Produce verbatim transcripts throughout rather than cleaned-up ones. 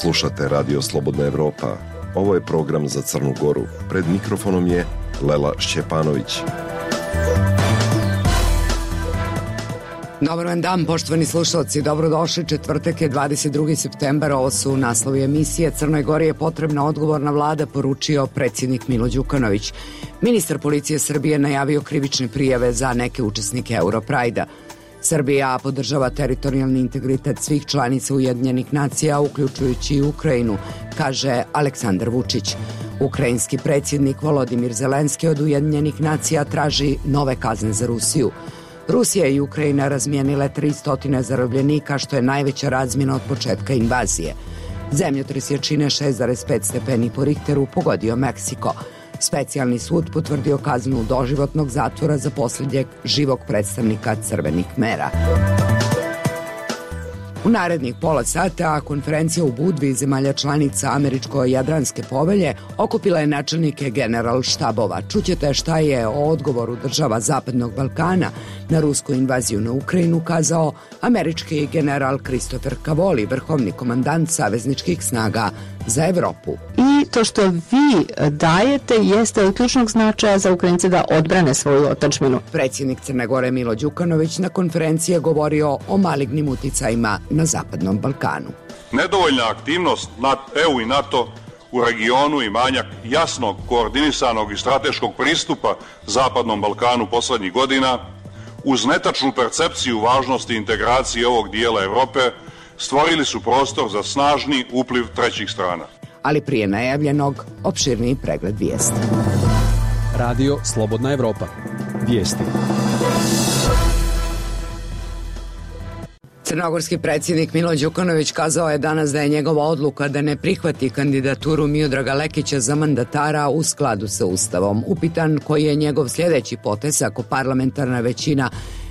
Slušate Radio Slobodna Evropa. Ovo je program za Crnu Goru. Pred mikrofonom je Lela Šćepanović. Dobar vam dan, poštovani slušalci, dobrodošli. Četvrtak je dvadeset drugi septembar, ovo su naslovi emisije. Crnoj Gori je potrebna odgovorna vlada, poručio predsjednik Milo Đukanović. Ministar policije Srbije najavio krivične prijave za neke učesnike Europrajda. Srbija podržava teritorijalni integritet svih članica Ujedinjenih nacija, uključujući i Ukrajinu, kaže Aleksandar Vučić. Ukrajinski predsjednik Volodimir Zelenski od Ujedinjenih nacija traži nove kazne za Rusiju. Rusija i Ukrajina razmijenile tristo zarobljenika, što je najveća razmjena od početka invazije. Zemljotres jačine šest zarez pet stepeni po Richteru pogodio Meksiko. Specijalni sud potvrdio kaznu doživotnog zatvora za posljednjeg živog predstavnika Crvenih Kmera. U narednih pola sata konferencija u Budvi zemalja članica Američko-Jadranske povelje okupila je načelnike general štabova. Čućete šta je o odgovoru država Zapadnog Balkana na rusku invaziju na Ukrajinu kazao američki general Christopher Cavoli, vrhovni komandant savezničkih snaga za Evropu. I to što vi dajete jeste od ključnog značaja za Ukrajince da odbrane svoju otadžbinu. Predsjednik Crne Gore Milo Đukanović na konferenciji je govorio o malignim uticajima na Zapadnom Balkanu. Nedovoljna aktivnost E U i NATO u regionu i manjak jasnog, koordinisanog i strateškog pristupa Zapadnom Balkanu poslednjih godina, uz netačnu percepciju važnosti integracije ovog dijela Evrope, stvorili su prostor za snažni upliv trećih strana. Ali prije najavljenog, opširniji pregled vijesti. Radio Slobodna Evropa. Vijesti. Crnogorski predsjednik Milo Đukanović kazao je danas da je njegova odluka da ne prihvati kandidaturu Miodraga Lekića za mandatara u skladu sa Ustavom. Upitan koji je njegov sljedeći potez ako parlamentarna većina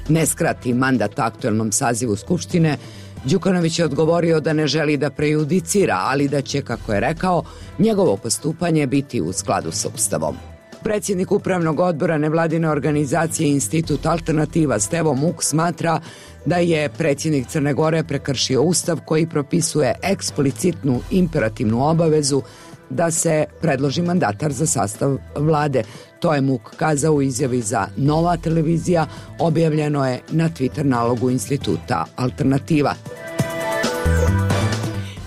ne skrati mandat aktuelnom sazivu Skupštine, Đukanović je odgovorio da ne želi da prejudicira, ali da će, kako je rekao, njegovo postupanje biti u skladu sa Ustavom. Predsjednik upravnog odbora nevladine organizacije Institut Alternativa Stevo Muk smatra da je predsjednik Crne Gore prekršio Ustav koji propisuje eksplicitnu imperativnu obavezu da se predloži mandatar za sastav vlade. To je Muk kazao u izjavi za Nova televizija, objavljeno je na Twitter nalogu Instituta Alternativa.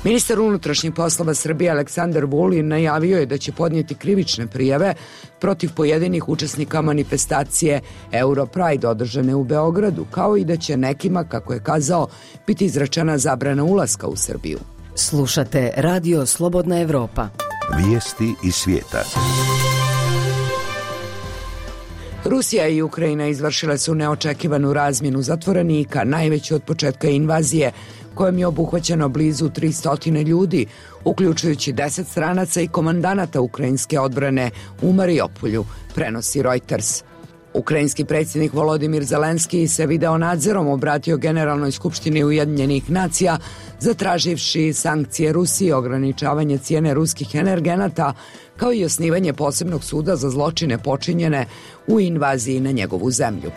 Ministar unutrašnjih poslova Srbije Aleksandar Vulin najavio je da će podnijeti krivične prijave protiv pojedinih učesnika manifestacije Europride održane u Beogradu, kao i da će nekima, kako je kazao, biti izrečena zabrana ulaska u Srbiju. Slušate Radio Slobodna Evropa. Vijesti iz svijeta. Rusija i Ukrajina izvršile su neočekivanu razmjenu zatvorenika, najveću od početka invazije, kojom je obuhvaćeno blizu tristo ljudi, uključujući deset stranaca i komandanata ukrajinske odbrane u Mariupolju, prenosi Reuters. Ukrajinski predsjednik Volodimir Zelenski se video nadzorom obratio Generalnoj skupštini Ujedinjenih nacija, zatraživši sankcije Rusiji i ograničavanje cijene ruskih energenata, kao i osnivanje posebnog suda za zločine počinjene u invaziji na njegovu zemlju.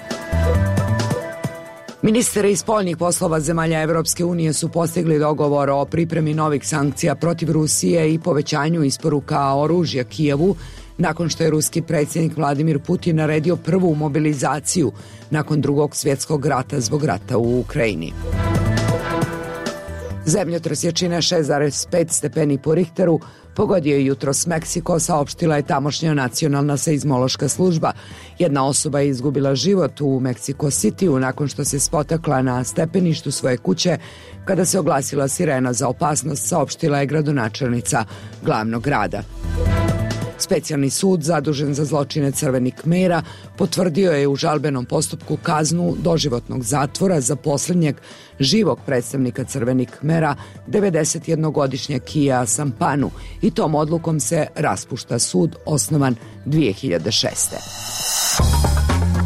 Ministri spoljnih poslova zemalja Evropske unije su postigli dogovor o pripremi novih sankcija protiv Rusije i povećanju isporuka oružja Kijevu, nakon što je ruski predsjednik Vladimir Putin naredio prvu mobilizaciju nakon drugog svjetskog rata zbog rata u Ukrajini. Zemljotres jačine šest zarez pet stepeni po Richteru pogodio je jutros Meksiko, saopštila je tamošnja nacionalna seizmološka služba. Jedna osoba je izgubila život u Meksiko Cityu nakon što se spotakla na stepeništu svoje kuće kada se oglasila sirena za opasnost, saopštila je gradonačelnica glavnog grada. Specijalni sud zadužen za zločine Crvenih Kmera potvrdio je u žalbenom postupku kaznu doživotnog zatvora za posljednjeg živog predstavnika Crvenih Kmera, devedesetjednogodišnjeg Kija Sampanu, i tom odlukom se raspušta sud osnovan dvije hiljade šeste.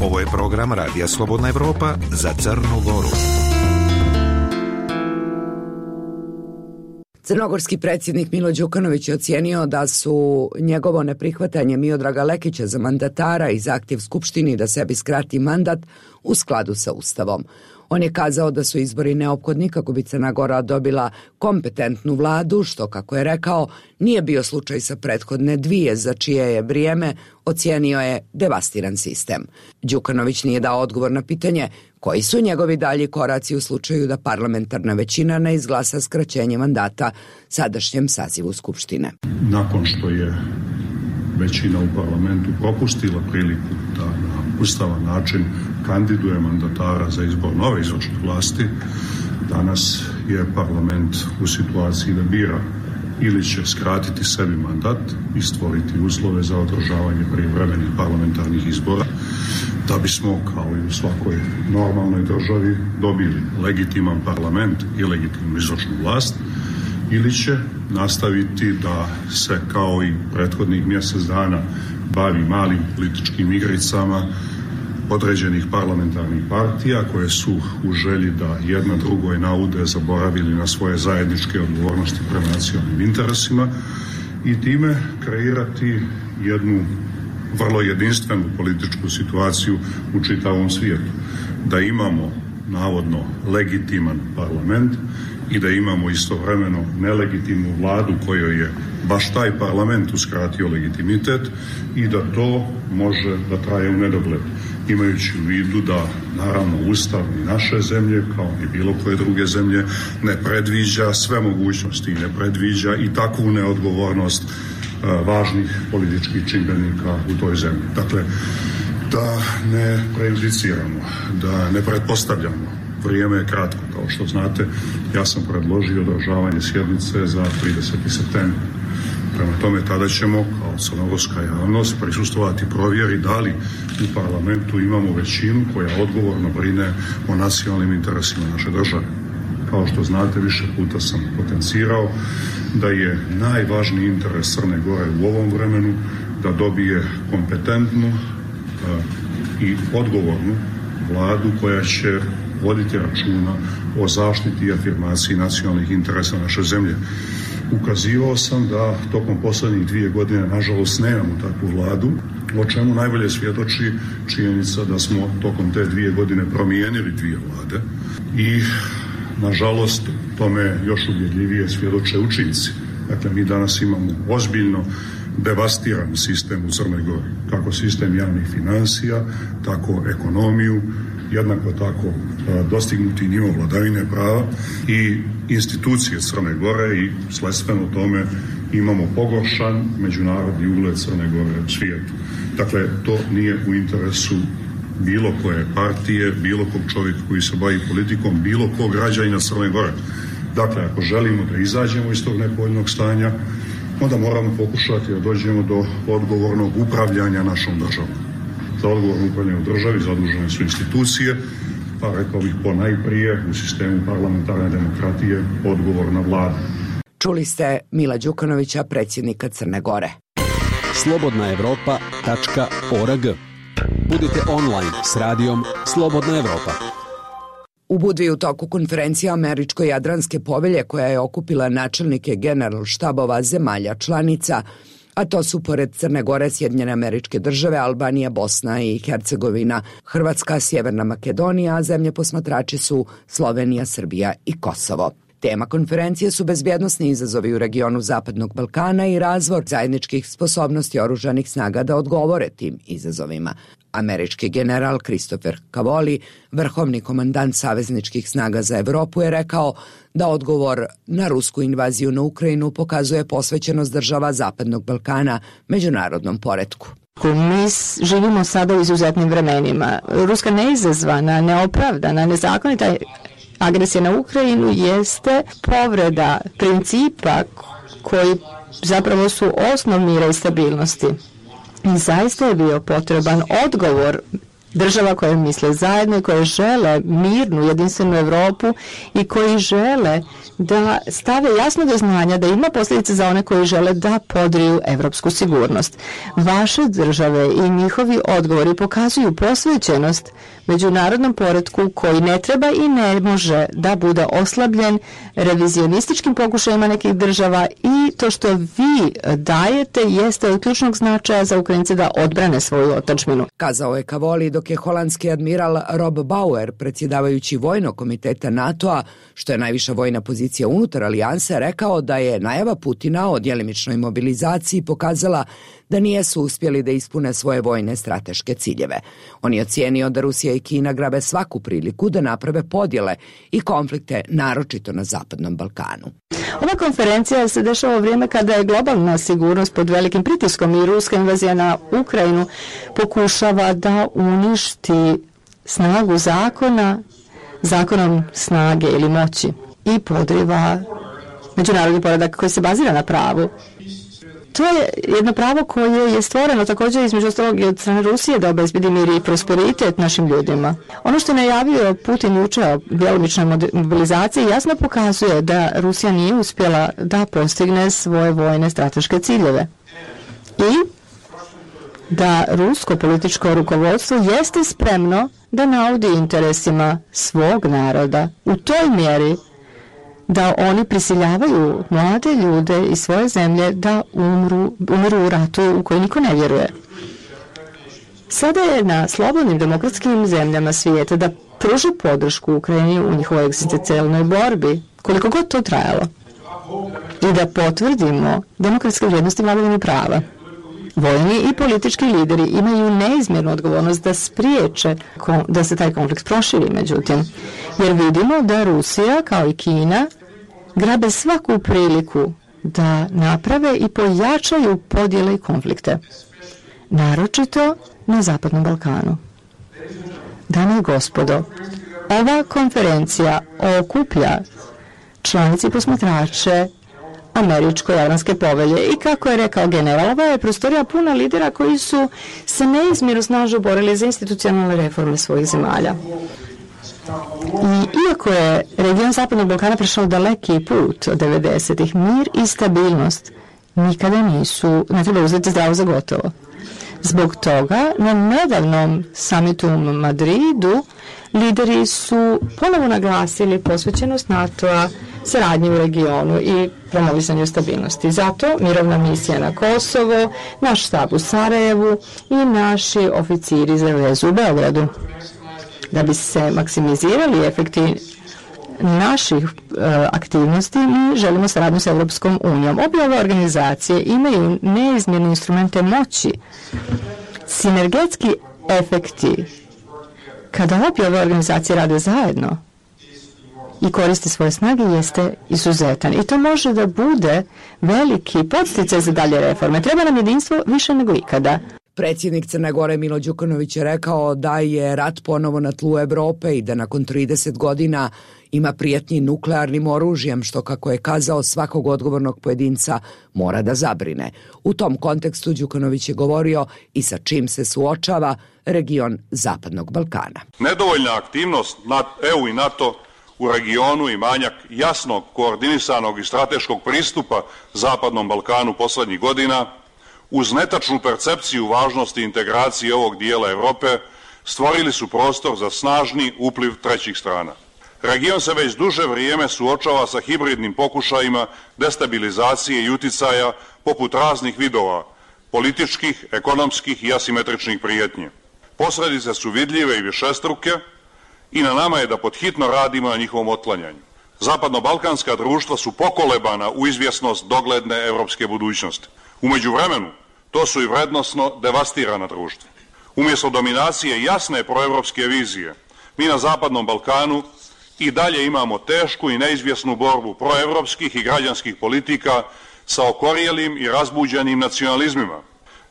Ovo je program Radija Slobodna Evropa za Crnu Goru. Crnogorski predsjednik Milo Đukanović je ocijenio da su njegovo neprihvatanje Miodraga Lekića za mandatara i zahtjev Skupštini da sebi skrati mandat u skladu sa Ustavom. On je kazao da su izbori neophodni kako bi Crna Gora dobila kompetentnu vladu, što, kako je rekao, nije bio slučaj sa prethodne dvije, za čije je vrijeme ocijenio je devastiran sistem. Đukanović nije dao odgovor na pitanje koji su njegovi dalji koraci u slučaju da parlamentarna većina ne izglasa skraćenje mandata sadašnjem sazivu Skupštine. Nakon što je većina u parlamentu propustila priliku da na ustavan način kandiduje mandatara za izbor nove izvršne vlasti, danas je parlament u situaciji da bira ili će skratiti sebi mandat i stvoriti uslove za održavanje prijevremenih parlamentarnih izbora, da bismo, kao i u svakoj normalnoj državi, dobili legitiman parlament i legitimnu izvršnu vlast, ili će nastaviti da se, kao i prethodnih mjesec dana, bavi malim političkim igricama određenih parlamentarnih partija koje su u želji da jedna drugoj naude zaboravili na svoje zajedničke odgovornosti prema nacionalnim interesima i time kreirati jednu vrlo jedinstvenu političku situaciju u čitavom svijetu. Da imamo navodno legitiman parlament i da imamo istovremeno nelegitimnu vladu kojoj je baš taj parlament uskratio legitimitet i da to može da traje u nedogled. Imajući u vidu da, naravno, Ustav i naše zemlje, kao i bilo koje druge zemlje, ne predviđa sve mogućnosti i ne predviđa i takvu neodgovornost uh, važnih političkih čimbenika u toj zemlji. Dakle, da ne prejudiciramo, da ne pretpostavljamo. Vrijeme je kratko, kao što znate, ja sam predložio održavanje sjednice za trideseti septembar. Prema tome, tada ćemo, kao crnogorska javnost, prisustvovati provjeri da li u parlamentu imamo većinu koja odgovorno brine o nacionalnim interesima naše države. Kao što znate, više puta sam potencirao da je najvažniji interes Crne Gore u ovom vremenu da dobije kompetentnu i odgovornu vladu koja će voditi računa o zaštiti i afirmaciji nacionalnih interesa naše zemlje. Ukazivao sam da tokom posljednjih dvije godine, nažalost, nemamo takvu vladu, o čemu najbolje svjedoči činjenica da smo tokom te dvije godine promijenili dvije vlade i, nažalost, tome još uvjerljivije svjedoče učinci. Dakle, mi danas imamo ozbiljno devastiran sistem u Crnoj Gori, kako sistem javnih financija, tako ekonomiju, jednako tako dostignuti nivo vladavine prava i institucije Crne Gore i sledstveno tome imamo pogoršan međunarodni ugled Crne Gore u svijetu. Dakle, to nije u interesu bilo koje partije, bilo kog čovjeka koji se bavi politikom, bilo kog građanina Crne Gore. Dakle, ako želimo da izađemo iz tog nepovoljnog stanja, onda moramo pokušati da dođemo do odgovornog upravljanja našom državom. Za odgovorno upravljanje u državi zadužene su institucije, pa rekao bih ponajprije u sistemu parlamentarne demokratije odgovorna vlada. Čuli ste Mila Đukanovića, predsjednika Crne Gore. slobodna evropa tačka org. Budite online s radijom Slobodna Evropa. U Budvi u toku konferencija Američko-Jadranske povelje koja je okupila načelnike generalštabova zemalja članica, a to su pored Crne Gore, Sjedinjene Američke Države, Albanija, Bosna i Hercegovina, Hrvatska, Sjeverna Makedonija, a zemlje posmatrači su Slovenija, Srbija i Kosovo. Tema konferencije su bezbjednosni izazovi u regionu Zapadnog Balkana i razvoj zajedničkih sposobnosti oružanih snaga da odgovore tim izazovima. Američki general Christopher Cavoli, vrhovni komandant savezničkih snaga za Evropu, je rekao da odgovor na rusku invaziju na Ukrajinu pokazuje posvećenost država Zapadnog Balkana međunarodnom poretku. Mi živimo sada u izuzetnim vremenima. Ruska neizazvana, neopravdana, nezakonita agresija na Ukrajinu jeste povreda principa koji zapravo su osnov mira i stabilnosti. I zaista je bio potreban odgovor država koje misle zajedno i koje žele mirnu, jedinstvenu Evropu i koji žele da stave jasno do znanja da ima posljedice za one koji žele da podriju evropsku sigurnost. Vaše države i njihovi odgovori pokazuju posvećenost međunarodnom poretku koji ne treba i ne može da bude oslabljen revizionističkim pokušajima nekih država i to što vi dajete jeste od ključnog značaja za Ukrajince da odbrane svoju otadžbinu. Kazao je Cavoli dok dok je holandski admiral Rob Bauer, predsjedavajući vojnog komiteta NATO-a, što je najviša vojna pozicija unutar alijanse, rekao da je najava Putina o djelimičnoj mobilizaciji pokazala da nijesu uspjeli da ispune svoje vojne strateške ciljeve. On je ocijenio da Rusija i Kina grabe svaku priliku da naprave podjele i konflikte, naročito na Zapadnom Balkanu. Ova konferencija se dešava u vrijeme kada je globalna sigurnost pod velikim pritiskom i ruska invazija na Ukrajinu pokušava da uništi snagu zakona zakonom snage ili moći i podriva međunarodni poredak koji se bazira na pravu. To je jedno pravo koje je stvoreno također između ostalog i od strane Rusije da obezbedi mir i prosperitet našim ljudima. Ono što je najavio Putin juče o djelomičnoj mobilizaciji jasno pokazuje da Rusija nije uspjela da postigne svoje vojne strateške ciljeve. I da rusko političko rukovodstvo jeste spremno da naudi interesima svog naroda u toj mjeri da oni prisiljavaju mlade ljude iz svoje zemlje da umru, umru u ratu u koji niko ne vjeruje. Sada je na slobodnim demokratskim zemljama svijeta da pruže podršku Ukrajini u njihovoj egzistencijalnoj borbi, koliko god to trajalo, i da potvrdimo demokratske vrijednosti vladavine prava. Vojni i politički lideri imaju neizmjernu odgovornost da spriječe da se taj konflikt proširi, međutim, jer vidimo da Rusija kao i Kina grabe svaku priliku da naprave i pojačaju podjele i konflikte, naročito na Zapadnom Balkanu. Dame i gospodo, ova konferencija okuplja članice i posmatrače Američko-Jadranske povelje i kako je rekao general, ova je prostorija puna lidera koji su se neizmjerno snažno borili za institucionalne reforme svojih zemalja. I iako je region Zapadnog Balkana prešao daleki put od devedesetih, mir i stabilnost nikada nisu, ne treba uzeti zdravo za gotovo. Zbog toga na nedavnom samitu u Madridu lideri su ponovo naglasili posvećenost NATO-a saradnji u regionu i promovisanju stabilnosti. Zato mirovna misija na Kosovo, naš štab u Sarajevu i naši oficiri za vezu u Beogradu. Da bi se maksimizirali efekti naših e, aktivnosti, mi želimo saradnju s Europskom unijom. Obje ove organizacije imaju neizmjerne instrumente moći. Sinergetski efekti kada obje ove organizacije rade zajedno i koriste svoje snage jeste izuzetan. I to može da bude veliki podsticaj za dalje reforme. Treba nam jedinstvo više nego ikada. Predsjednik Crne Gore Milo Đukanović je rekao da je rat ponovo na tlu Evrope i da nakon trideset godina ima prijetnji nuklearnim oružjem, što, kako je kazao, svakog odgovornog pojedinca mora da zabrine. U tom kontekstu Đukanović je govorio i sa čim se suočava region Zapadnog Balkana. Nedovoljna aktivnost E U i NATO u regionu i manjak jasnog, koordinisanog i strateškog pristupa Zapadnom Balkanu poslednjih godina, uz netačnu percepciju važnosti integracije ovog dijela Evrope, stvorili su prostor za snažni upliv trećih strana. Region se već duže vrijeme suočava sa hibridnim pokušajima destabilizacije i uticaja poput raznih vidova političkih, ekonomskih i asimetričnih prijetnji. Posledice su vidljive i višestruke i na nama je da podhitno radimo na njihovom otklanjanju. Zapadno-balkanska društva su pokolebana u izvjesnost dogledne evropske budućnosti. U međuvremenu, to su i vrednosno devastirana društva. Umjesto dominacije jasne proevropske vizije, mi na Zapadnom Balkanu i dalje imamo tešku i neizvjesnu borbu proevropskih i građanskih politika sa okorjelim i razbuđenim nacionalizmima,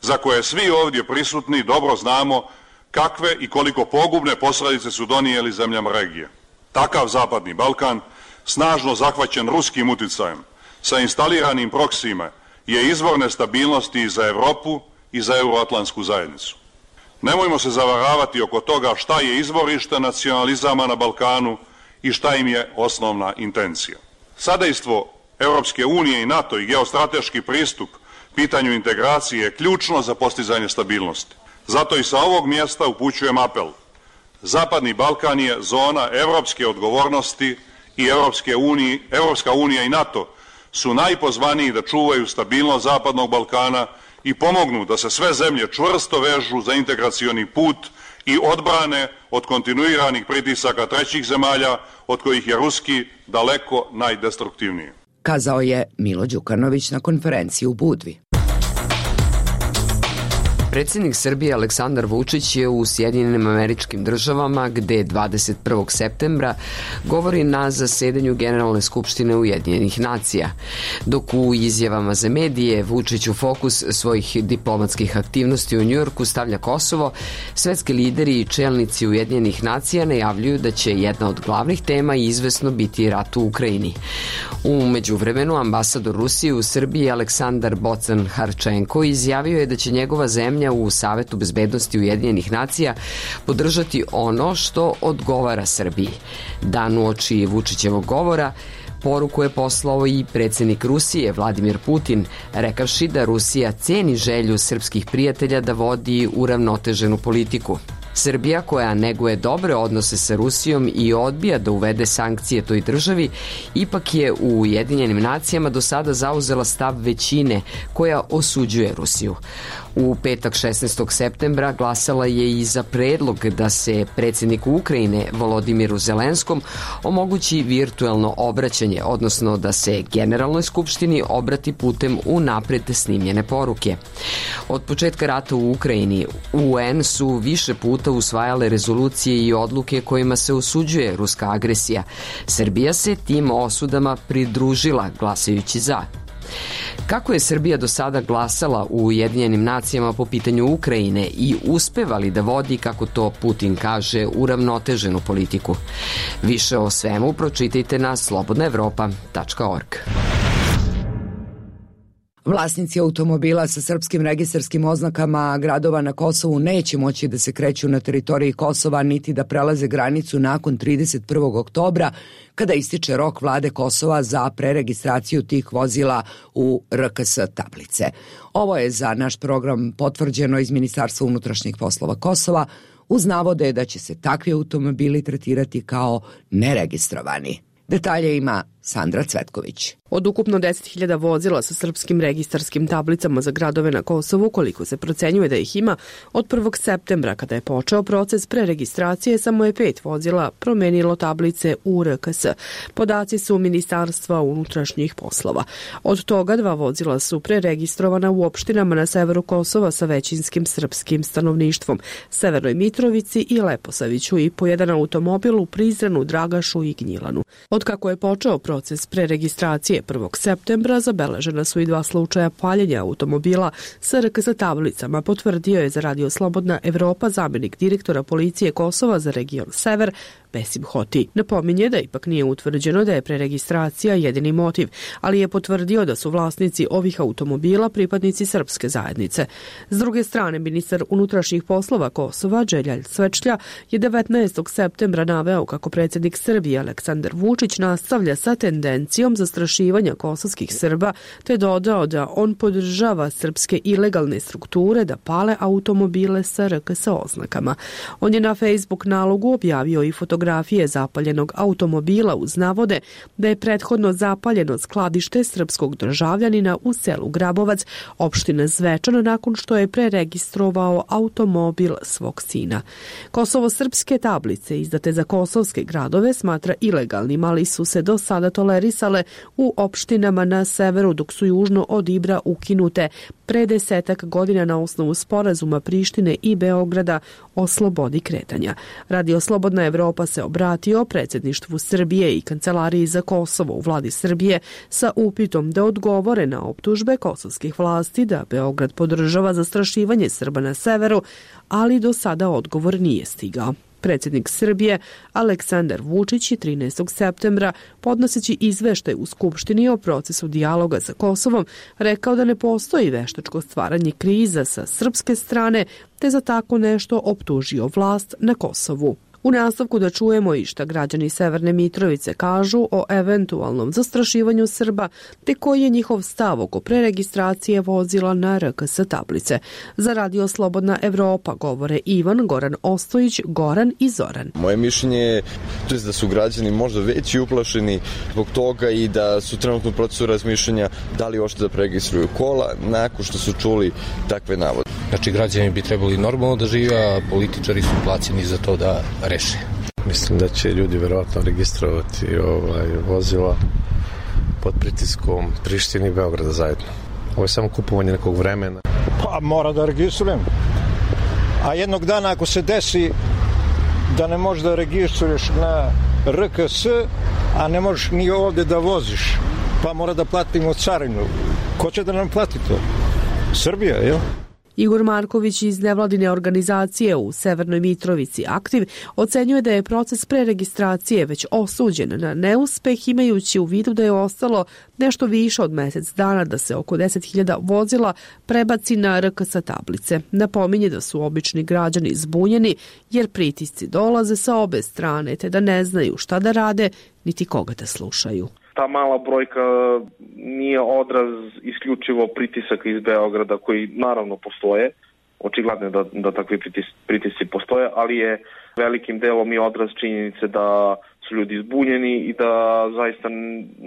za koje svi ovdje prisutni dobro znamo kakve i koliko pogubne posljedice su donijeli zemljama regije. Takav Zapadni Balkan, snažno zahvaćen ruskim uticajem, sa instaliranim proksijima, je izvor nestabilnosti i za Europu i za euroatlantsku zajednicu. Nemojmo se zavaravati oko toga šta je izvorište nacionalizama na Balkanu i šta im je osnovna intencija. Sadejstvo Europske unije i NATO i geostrateški pristup pitanju integracije je ključno za postizanje stabilnosti. Zato i sa ovog mjesta upućujem apel. Zapadni Balkan je zona evropske odgovornosti i Europske unije, Europska unija i NATO su najpozvaniji da čuvaju stabilnost Zapadnog Balkana i pomognu da se sve zemlje čvrsto vežu za integracioni put i odbrane od kontinuiranih pritisaka trećih zemalja, od kojih je ruski daleko najdestruktivniji. Kazao je Milo Đukanović na konferenciji u Budvi. Predsjednik Srbije Aleksandar Vučić je u Sjedinjenim Američkim Državama, gde dvadeset prvog septembra govori na zasedanju Generalne skupštine Ujedinjenih nacija. Dok u izjavama za medije Vučić u fokus svojih diplomatskih aktivnosti u Njujorku stavlja Kosovo, svetski lideri i čelnici Ujedinjenih nacija najavljuju da će jedna od glavnih tema izvesno biti rat u Ukrajini. U međuvremenu ambasador Rusije u Srbiji Aleksandar Bocan-Harčenko izjavio je da će njegova zemlja u Savetu bezbednosti Ujedinjenih nacija podržati ono što odgovara Srbiji. Dan uoči Vučićevog govora poruku je poslao i predsjednik Rusije Vladimir Putin, rekavši da Rusija ceni želju srpskih prijatelja da vodi uravnoteženu politiku. Srbija, koja neguje dobre odnose sa Rusijom i odbija da uvede sankcije toj državi, ipak je u Ujedinjenim nacijama do sada zauzela stav većine koja osuđuje Rusiju. U petak šesnaestog septembra glasala je i za predlog da se predsjedniku Ukrajine Volodimiru Zelenskom omogući virtuelno obraćanje, odnosno da se Generalnoj skupštini obrati putem unapred snimljene poruke. Od početka rata u Ukrajini U N su više puta usvajale rezolucije i odluke kojima se osuđuje ruska agresija. Srbija se tim osudama pridružila glasajući za. Kako je Srbija do sada glasala u Ujedinjenim nacijama po pitanju Ukrajine i uspeva li da vodi, kako to Putin kaže, uravnoteženu politiku? Više o svemu pročitajte na slobodna evropa tačka org. Vlasnici automobila sa srpskim registarskim oznakama gradova na Kosovu neće moći da se kreću na teritoriji Kosova niti da prelaze granicu nakon trideset prvog oktobra, kada ističe rok vlade Kosova za preregistraciju tih vozila u R K S tablice. Ovo je za naš program potvrđeno iz Ministarstva unutrašnjih poslova Kosova, uz navode da će se takvi automobili tretirati kao neregistrovani. Detalje ima Sandra Cvetković. Od ukupno deset hiljada vozila sa srpskim registarskim tablicama za gradove na Kosovu, koliko se procenjuje da ih ima, od prvog septembra kada je počeo proces preregistracije, samo je pet vozila promenilo tablice u R K S. Podaci su Ministarstva unutrašnjih poslova. Od toga dva vozila su preregistrovana u opštinama na severu Kosova sa većinskim srpskim stanovništvom, Severnoj Mitrovici i Leposaviću, i po jedan automobil u Prizrenu, Dragašu i Gnjilanu. Od kako je počeo proces preregistracije prvog septembra, zabeležena su i dva slučaja paljenja automobila sa R K S tablicama, potvrdio je za Radio Slobodna Evropa zamjenik direktora policije Kosova za region Sever, Besim Hoti. Napominje da ipak nije utvrđeno da je preregistracija jedini motiv, ali je potvrdio da su vlasnici ovih automobila pripadnici srpske zajednice. S druge strane, ministar unutrašnjih poslova Kosova, Đeljalj Svečlja, je devetnaestog septembra naveo kako predsjednik Srbije Aleksandar Vučić nastavlja sa tendencijom zastrašivanja kosovskih Srba, te dodao da on podržava srpske ilegalne strukture da pale automobile sa R K S oznakama. On je na Facebook nalogu objavio i fotografije zapaljenog automobila uz navode da je prethodno zapaljeno skladište srpskog državljanina u selu Grabovac, opštine Zvečan, nakon što je preregistrovao automobil svog sina. Kosovo-srpske tablice izdate za kosovske gradove smatra ilegalnim, ali su se do sada tolerisale u opštinama na severu, dok su južno od Ibra ukinute pre desetak godina na osnovu sporazuma Prištine i Beograda o slobodi kretanja. Radio Slobodna Evropa se obratio predsjedništvu Srbije i Kancelariji za Kosovo u vladi Srbije sa upitom da odgovore na optužbe kosovskih vlasti da Beograd podržava zastrašivanje Srba na severu, ali do sada odgovor nije stigao. Predsjednik Srbije Aleksandar Vučić je trinaestog septembra, podnoseći izveštaj u Skupštini o procesu dijaloga sa Kosovom, rekao da ne postoji veštačko stvaranje kriza sa srpske strane, te za tako nešto optužio vlast na Kosovu. U nastavku da čujemo i šta građani Severne Mitrovice kažu o eventualnom zastrašivanju Srba, te koji je njihov stav oko preregistracije vozila na R K S tablice. Za Radio Slobodna Evropa govore Ivan, Goran Ostojić, Goran i Zoran. Moje mišljenje je da su građani možda veći uplašeni zbog toga i da su trenutno u procesu razmišljanja da li uopšte da preregistruju kola nakon što su čuli takve navode. Znači građani bi trebali normalno da žive, a političari su plaćeni za to da reše. Mislim da će ljudi verovatno registrovati ovaj, vozila pod pritiskom Prištine i Beograda zajedno. Ovo je samo kupovanje nekog vremena. Pa mora da registrujem. A jednog dana ako se desi da ne možeš da registruješ na R K S, a ne možeš ni ovde da voziš, pa mora da platimo carinu. Ko će da nam plati to? Srbija, jel? Igor Marković iz nevladine organizacije u Severnoj Mitrovici Aktiv ocenjuje da je proces preregistracije već osuđen na neuspeh, imajući u vidu da je ostalo nešto više od mesec dana da se oko deset hiljada vozila prebaci na R K S tablice. Napominje da su obični građani zbunjeni jer pritisci dolaze sa obe strane, te da ne znaju šta da rade niti koga da slušaju. Ta mala brojka nije odraz isključivo pritisaka iz Beograda koji naravno postoje, očigledno je da, da takvi pritis, pritisci postoje, ali je velikim delom i odraz činjenice da su ljudi zbunjeni i da zaista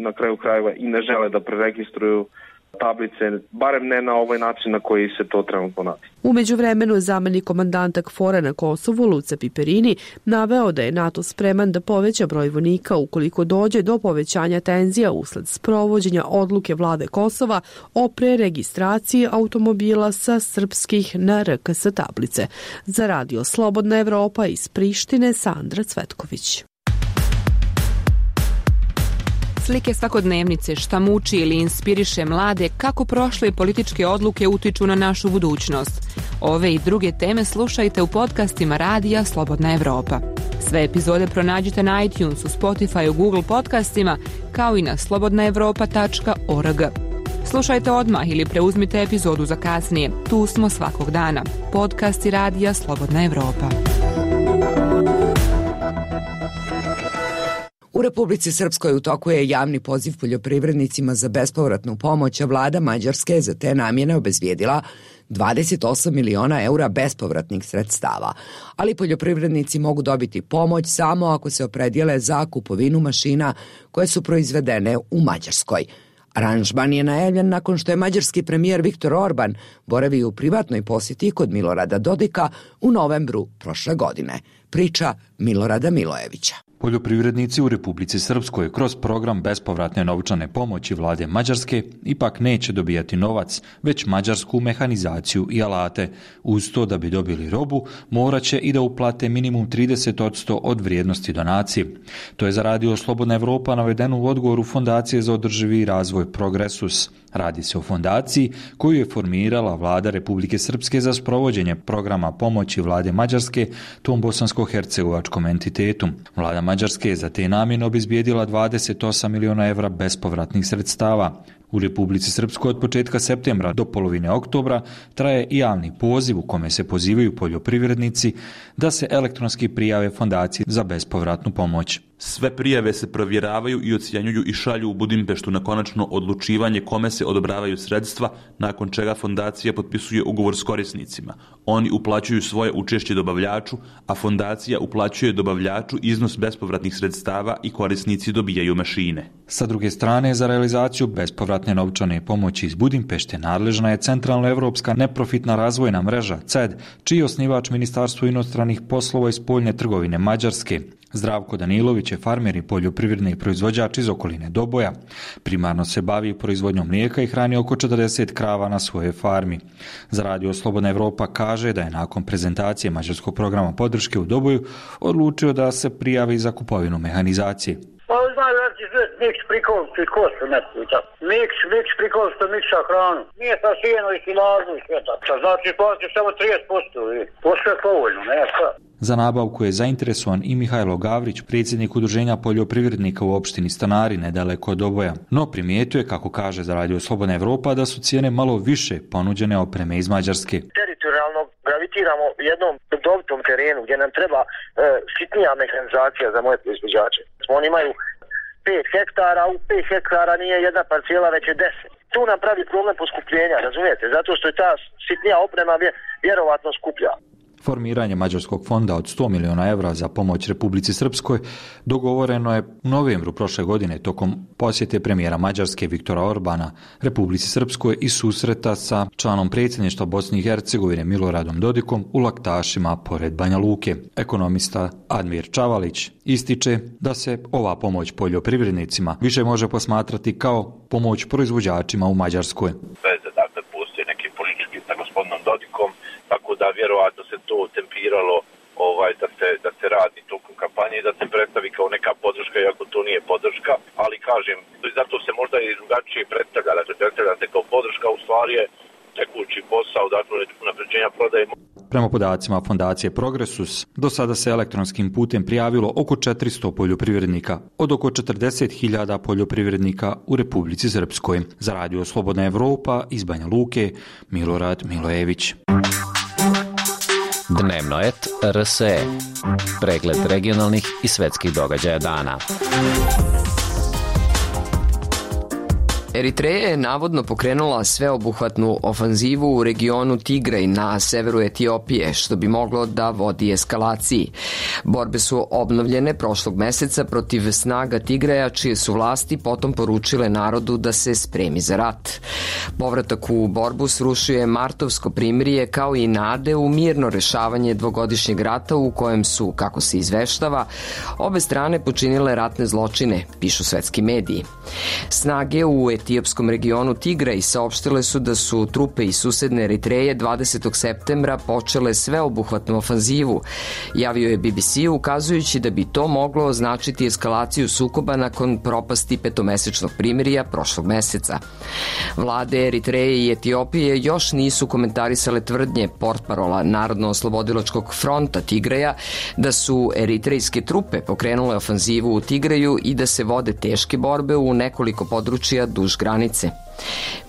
na kraju krajeva i ne žele da preregistruju tablice, barem ne na ovaj način na koji se to trenutno radi. U međuvremenu je zamenik komandanta KFOR-a na Kosovu, Luca Piperini, naveo da je NATO spreman da poveća broj vojnika ukoliko dođe do povećanja tenzija usled sprovođenja odluke vlade Kosova o preregistraciji automobila sa srpskih na R K S tablice. Za Radio Slobodna Evropa iz Prištine, Sandra Cvetković. Slike svakodnevnice, šta muči ili inspiriše mlade, kako prošle političke odluke utiču na našu budućnost. Ove i druge teme slušajte u podcastima Radija Slobodna Evropa. Sve epizode pronađite na iTunesu, Spotifyu, Google podcastima, kao i na slobodna evropa tačka org. Slušajte odmah ili preuzmite epizodu za kasnije. Tu smo svakog dana. Podcasti Radija Slobodna Evropa. U Republici Srpskoj u toku je javni poziv poljoprivrednicima za bespovratnu pomoć, a vlada Mađarske za te namjene obezbijedila dvadeset osam miliona eura bespovratnih sredstava, ali poljoprivrednici mogu dobiti pomoć samo ako se opredijele za kupovinu mašina koje su proizvedene u Mađarskoj. Aranžman je najavljen nakon što je mađarski premijer Viktor Orban boravio u privatnoj posjeti kod Milorada Dodika u novembru prošle godine. Priča Milorada Milojevića. Poljoprivrednici u Republici Srpskoj kroz program bespovratne novčane pomoći vlade Mađarske ipak neće dobijati novac, već mađarsku mehanizaciju i alate. Uz to da bi dobili robu, morat će i da uplate minimum trideset posto od vrijednosti donacije. To je za Radio Slobodna Evropa navedeno u odgovoru Fondacije za održivi razvoj Progresus. Radi se o fondaciji koju je formirala vlada Republike Srpske za sprovođenje programa pomoći vlade Mađarske tom bosansko-hercegovačkom entitetu. Vlada Mađarske je za te namjene obezbijedila dvadeset osam miliona evra bespovratnih sredstava. U Republici Srpskoj od početka septembra do polovine oktobra traje i javni poziv u kome se pozivaju poljoprivrednici da se elektronski prijave fondaciji za bespovratnu pomoć. Sve prijave se provjeravaju i ocjenjuju i šalju u Budimpeštu na konačno odlučivanje kome se odobravaju sredstva, nakon čega fondacija potpisuje ugovor s korisnicima. Oni uplaćuju svoje učešće dobavljaču, a fondacija uplaćuje dobavljaču iznos bespovratnih sredstava i korisnici dobijaju mašine. Sa druge strane, za realizaciju bespovratne novčane pomoći iz Budimpešte nadležna je Centralnoevropska neprofitna razvojna mreža C E D, čiji je osnivač Ministarstvo inostranih poslova i spoljne trgovine Mađarske. Zdravko Danilović je farmer i poljoprivredni proizvođač iz okoline Doboja. Primarno se bavi proizvodnjom mlijeka i hrani oko četrdeset krava na svojoj farmi. Za Radio Slobodna Evropa kaže da je nakon prezentacije mađarskog programa podrške u Doboju odlučio da se prijavi za kupovinu mehanizacije. Pa znaju da će miks prikoliti kosu neku i tako. Miks, miks prikoliti miksa hranu. Nije sa sijeno i silazu i sve tako. Znači plati samo trideset posto i to sve povoljno, ne sad. Za nabavku je zainteresovan i Mihajlo Gavrić, predsjednik udruženja poljoprivrednika u opštini Stanari nedaleko od Doboja. No primijetio je, kako kaže za Radio Slobodna Evropa, da su cijene malo više ponuđene opreme iz Mađarske. Teritorijalno gravitiramo jednom dobitom terenu gdje nam treba e, sitnija mehanizacija za moje proizvođače. Oni imaju pet hektara, u pet hektara nije jedna parcela, već je deset. Tu nam pravi problem poskupljenja, razumijete, zato što je ta sitnija oprema vjerovatno skuplja. Formiranje Mađarskog fonda od sto miliona evra za pomoć Republici Srpskoj dogovoreno je u novembru prošle godine tokom posjete premijera Mađarske Viktora Orbana Republici Srpskoj i susreta sa članom predsjedništva Bosne i Hercegovine Miloradom Dodikom u Laktašima pored Banja Luke. Ekonomista Admir Čavalić ističe da se ova pomoć poljoprivrednicima više može posmatrati kao pomoć proizvođačima u Mađarskoj. Veze, dakle, postoji neki politički sa gospodinom Dodikom, tako da vjerovatno se to tempiralo ovaj, da, se, da se radi tokom kampanje i da se predstavi kao neka podrška, iako to nije podrška, ali kažem, zato se možda i drugačije predstavlja, dakle, predstavlja se kao podrška, u stvari je tekući posao, dakle, unapređenja prodaje. Prema podacima Fondacije Progresus, do sada se elektronskim putem prijavilo oko četiristo poljoprivrednika od oko četrdeset hiljada poljoprivrednika u Republici Srpskoj. Za Radio Slobodna Evropa iz Banja Luke, Milorad Milojević. Dnevnoet R S E. Pregled regionalnih i svetskih događaja dana. Eritreja je navodno pokrenula sveobuhvatnu ofanzivu u regionu Tigraj na severu Etiopije, što bi moglo da vodi eskalaciji. Borbe su obnovljene prošlog meseca protiv snaga Tigraja, čije su vlasti potom poručile narodu da se spremi za rat. Povratak u borbu srušio je martovsko primirje kao i nade u mirno rešavanje dvogodišnjeg rata u kojem su, kako se izveštava, obe strane počinile ratne zločine, pišu svetski mediji. Snage u etiopskom regionu Tigraj saopštile su da su trupe iz susedne Eritreje dvadesetog septembra počele sveobuhvatnu ofanzivu, javio je B B C ukazujući da bi to moglo označiti eskalaciju sukoba nakon propasti petomesečnog primirja prošlog meseca. Vlade Eritreje i Etiopije još nisu komentarisale tvrdnje portparola Narodno-oslobodilačkog fronta Tigraja da su eritrejske trupe pokrenule ofanzivu u Tigraju i da se vode teške borbe u nekoliko područja duž granice.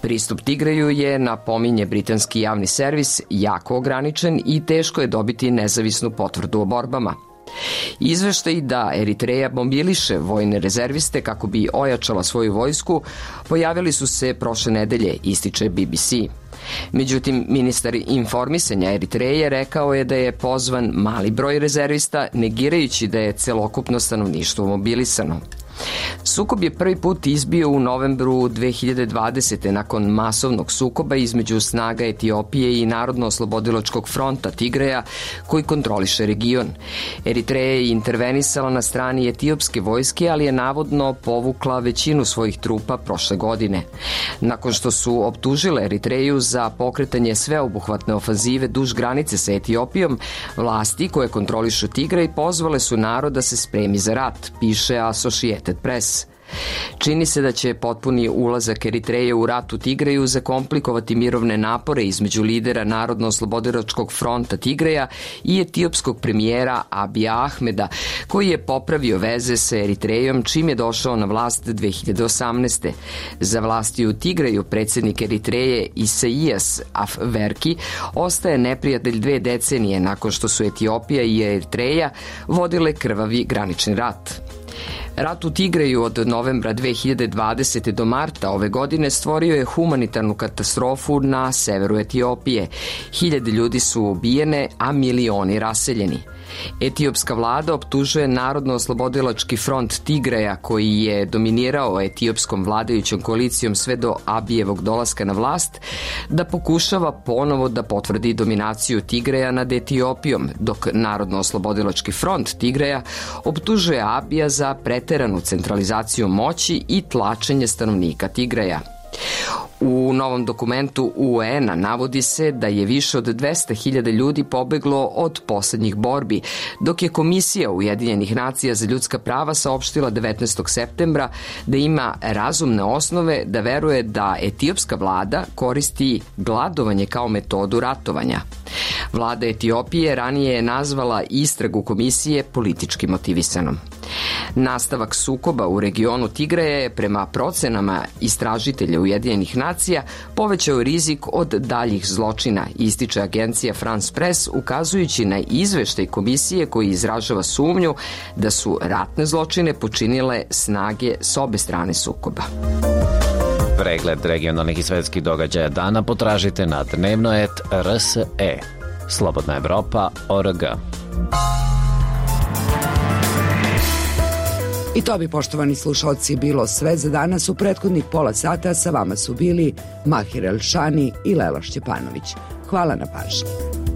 Pristup Tigraju je, napominje britanski javni servis, jako ograničen i teško je dobiti nezavisnu potvrdu o borbama. Izveštaj da Eritreja mobiliše vojne rezerviste kako bi ojačala svoju vojsku pojavili su se prošle nedelje, ističe B B C. Međutim, ministar informisanja Eritreje rekao je da je pozvan mali broj rezervista, negirajući da je celokupno stanovništvo mobilisano. Sukob je prvi put izbio u novembru dve hiljade dvadesete nakon masovnog sukoba između snaga Etiopije i Narodno-oslobodilačkog fronta Tigraja koji kontroliše region. Eritreja je intervenisala na strani etiopske vojske, ali je navodno povukla većinu svojih trupa prošle godine. Nakon što su optužile Eritreju za pokretanje sveobuhvatne ofanzive duž granice sa Etiopijom, vlasti koje kontrolišu Tigraj pozvale su narod da se spremi za rat, piše Associated Press. Čini se da će potpuni ulazak Eritreje u rat u Tigraju zakomplikovati mirovne napore između lidera Narodno-oslobodilačkog fronta Tigraja i etiopskog premijera Abija Ahmeda, koji je popravio veze sa Eritrejom čim je došao na vlast dve hiljade osamnaeste. Za vlasti u Tigraju predsjednik Eritreje Isaijas Afwerki ostaje neprijatelj dve decenije nakon što su Etiopija i Eritreja vodile krvavi granični rat. Rat u Tigraju od novembra dve hiljade dvadesete do marta ove godine stvorio je humanitarnu katastrofu na severu Etiopije. Hiljade ljudi su ubijene, a milioni raseljeni. Etiopska vlada optužuje Narodno-oslobodilački front Tigraja, koji je dominirao etiopskom vladajućom koalicijom sve do Abijevog dolaska na vlast, da pokušava ponovo da potvrdi dominaciju Tigraja nad Etiopijom, dok Narodno-oslobodilački front Tigraja optužuje Abija za preteranu centralizaciju moći i tlačenje stanovnika Tigraja. U novom dokumentu U N-a navodi se da je više od dvesta hiljada ljudi pobeglo od poslednjih borbi, dok je Komisija Ujedinjenih nacija za ljudska prava saopštila devetnaestog septembra da ima razumne osnove da veruje da etiopska vlada koristi gladovanje kao metodu ratovanja. Vlada Etiopije ranije je nazvala istragu komisije politički motivisanom. Nastavak sukoba u regionu Tigraja je prema procenama istražitelja Ujedinjenih nacija povećao rizik od daljih zločina, ističe agencija France Press, ukazujući na izveštaj komisije koji izražava sumnju da su ratne zločine počinile snage s obe strane sukoba. Pregled regionalnih i svetskih događaja dana potražite na dnevnoet R S E. slobodna evropa tačka org. I to bi, poštovani slušalci, bilo sve za danas. U prethodnih pola sata sa vama su bili Mahir Elšani i Lela Šćepanović. Hvala na pažnji.